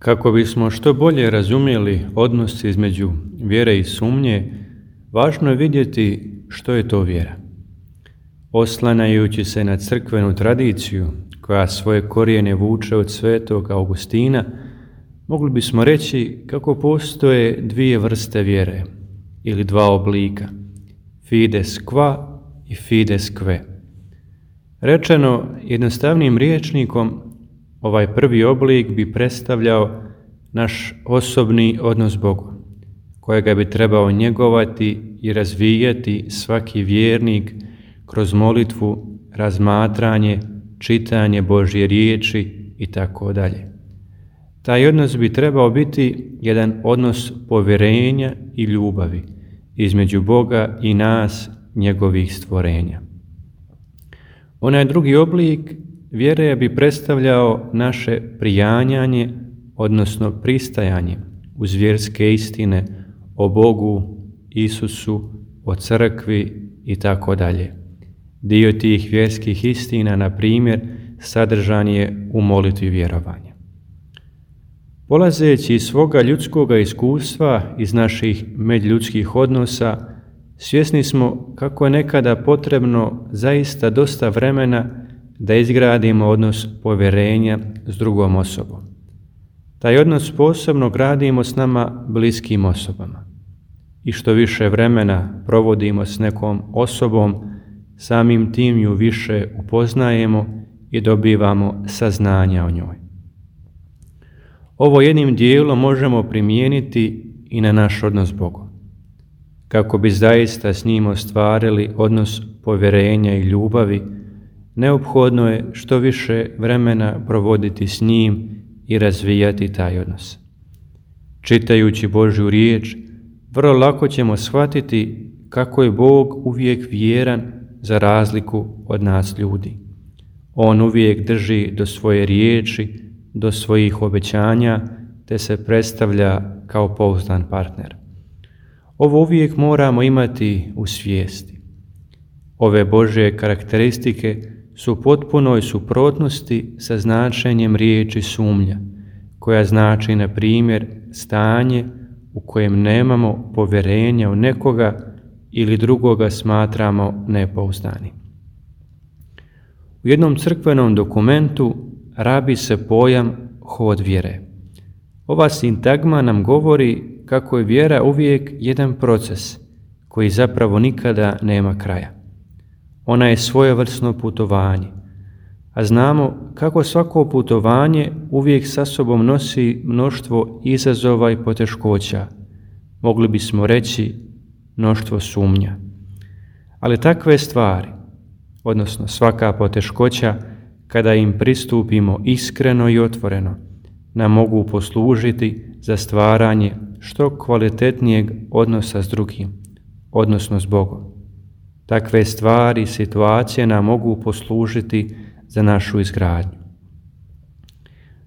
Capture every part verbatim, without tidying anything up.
Kako bismo što bolje razumjeli odnos između vjere i sumnje, važno je vidjeti što je to vjera. Oslanjajući se na crkvenu tradiciju koja svoje korijene vuče od svetog Augustina, mogli bismo reći kako postoje dvije vrste vjere ili dva oblika, fides qua i fides que. Rečeno jednostavnim rječnikom, ovaj prvi oblik bi predstavljao naš osobni odnos s Bogom, kojega bi trebao njegovati i razvijati svaki vjernik kroz molitvu, razmatranje, čitanje Božje riječi i tako dalje. Taj odnos bi trebao biti jedan odnos povjerenja i ljubavi između Boga i nas, njegovih stvorenja. Onaj drugi oblik vjere bi predstavljao naše prijanjanje, odnosno pristajanje uz vjerske istine o Bogu, Isusu, o crkvi i tako dalje. Dio tih vjerskih istina, na primjer, sadržan je u molitvi vjerovanja. Polazeći iz svoga ljudskoga iskustva, iz naših međuljudskih odnosa, svjesni smo kako je nekada potrebno zaista dosta vremena da izgradimo odnos povjerenja s drugom osobom. Taj odnos posebno gradimo s nama bliskim osobama. I što više vremena provodimo s nekom osobom, samim tim ju više upoznajemo i dobivamo saznanja o njoj. Ovo jednim dijelom možemo primijeniti i na naš odnos s Bogom. Kako bi zaista s njim ostvarili odnos povjerenja i ljubavi, neophodno je što više vremena provoditi s njim i razvijati taj odnos. Čitajući Božju riječ, vrlo lako ćemo shvatiti kako je Bog uvijek vjeran za razliku od nas ljudi. On uvijek drži do svoje riječi, do svojih obećanja, te se predstavlja kao pouzdan partner. Ovo uvijek moramo imati u svijesti. Ove Božje karakteristike su u potpunoj suprotnosti sa značenjem riječi sumnja, koja znači, na primjer, stanje u kojem nemamo povjerenja u nekoga ili drugoga smatramo nepouzdanim. U jednom crkvenom dokumentu rabi se pojam hod vjere. Ova sintagma nam govori kako je vjera uvijek jedan proces koji zapravo nikada nema kraja. Ona je svojevrsno putovanje, a znamo kako svako putovanje uvijek sa sobom nosi mnoštvo izazova i poteškoća, mogli bismo reći mnoštvo sumnja. Ali takve stvari, odnosno svaka poteškoća, kada im pristupimo iskreno i otvoreno, nam mogu poslužiti za stvaranje što kvalitetnijeg odnosa s drugim, odnosno s Bogom. Takve stvari i situacije nam mogu poslužiti za našu izgradnju.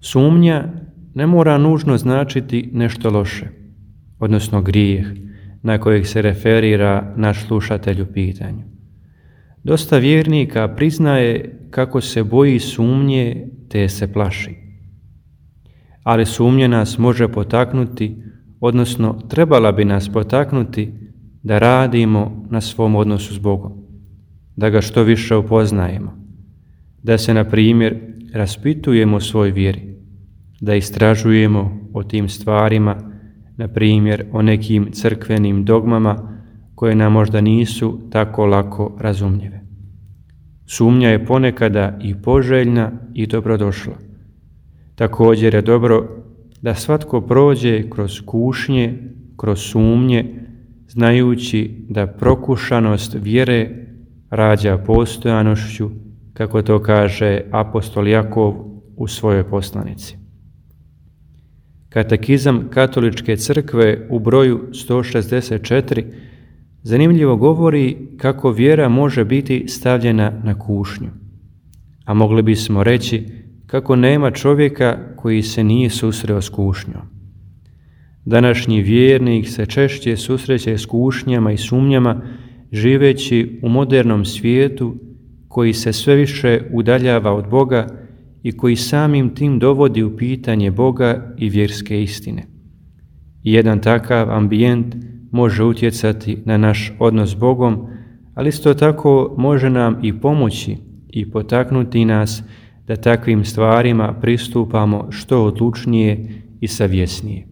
Sumnja ne mora nužno značiti nešto loše, odnosno grijeh, na kojeg se referira naš slušatelj u pitanju. Dosta vjernika priznaje kako se boji sumnje te se plaši. Ali sumnja nas može potaknuti, odnosno trebala bi nas potaknuti da radimo na svom odnosu s Bogom, da ga što više upoznajemo, da se, na primjer, raspitujemo o svoj vjeri, da istražujemo o tim stvarima, na primjer o nekim crkvenim dogmama koje nam možda nisu tako lako razumljive. Sumnja je ponekada i poželjna i dobrodošla. Također je dobro da svatko prođe kroz kušnje, kroz sumnje, znajući da prokušanost vjere rađa postojanošću, kako to kaže apostol Jakov u svojoj poslanici. Katekizam Katoličke crkve u broju sto šezdeset četiri zanimljivo govori kako vjera može biti stavljena na kušnju, a mogli bismo reći kako nema čovjeka koji se nije susreo s kušnjom. Današnji vjernik se češće susreće s kušnjama i sumnjama živeći u modernom svijetu koji se sve više udaljava od Boga i koji samim tim dovodi u pitanje Boga i vjerske istine. I jedan takav ambijent može utjecati na naš odnos s Bogom, ali isto tako može nam i pomoći i potaknuti nas da takvim stvarima pristupamo što odlučnije i savjesnije.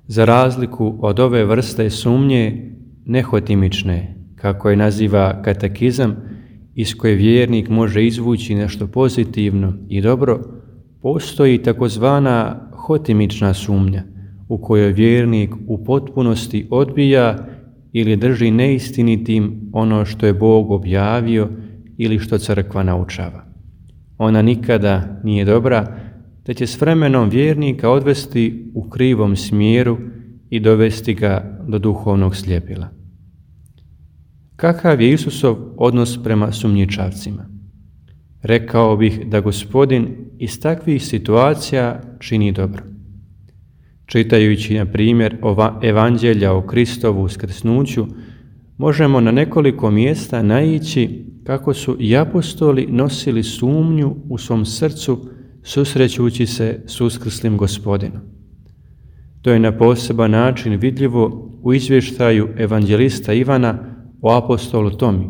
Za razliku od ove vrste sumnje nehotimične, kako je naziva katekizam, iz koje vjernik može izvući nešto pozitivno i dobro, postoji takozvana hotimična sumnja, u kojoj vjernik u potpunosti odbija ili drži neistinitim ono što je Bog objavio ili što crkva naučava. Ona nikada nije dobra, te će s vremenom vjernika odvesti u krivom smjeru i dovesti ga do duhovnog sljepila. Kakav je Isusov odnos prema sumnjičavcima? Rekao bih da Gospodin iz takvih situacija čini dobro. Čitajući, na primjer, evanđelja o Kristovu uskrsnuću, možemo na nekoliko mjesta naići kako su i apostoli nosili sumnju u svom srcu susrećući se s uskrslim Gospodinom. To je na poseban način vidljivo u izvještaju evanđelista Ivana o apostolu Tomi,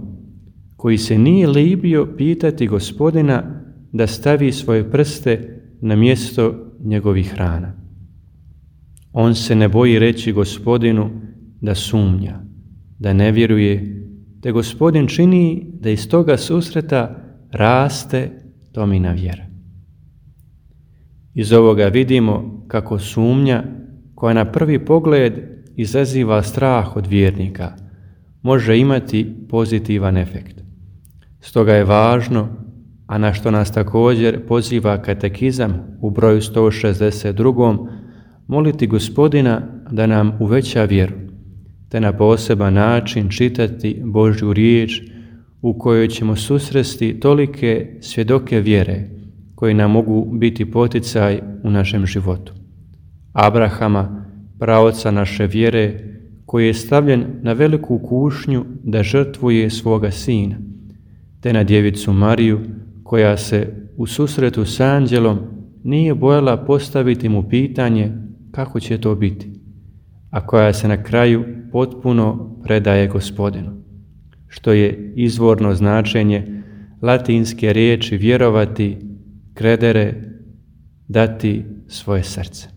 koji se nije libio pitati Gospodina da stavi svoje prste na mjesto njegovih rana. On se ne boji reći Gospodinu da sumnja, da ne vjeruje, te Gospodin čini da iz toga susreta raste Tomina vjera. Iz ovoga vidimo kako sumnja, koja na prvi pogled izaziva strah od vjernika, može imati pozitivan efekt. Stoga je važno, a na što nas također poziva katekizam u broju sto šezdeset dva, moliti Gospodina da nam uveća vjeru, te na poseban način čitati Božju riječ u kojoj ćemo susresti tolike svjedoke vjere koji nam mogu biti poticaj u našem životu. Abrahama, praoca naše vjere, koji je stavljen na veliku kušnju da žrtvuje svoga sina, te na djevicu Mariju, koja se u susretu s anđelom nije bojala postaviti mu pitanje kako će to biti, a koja se na kraju potpuno predaje Gospodinu, što je izvorno značenje latinske riječi vjerovati, credere, dati svoje srce.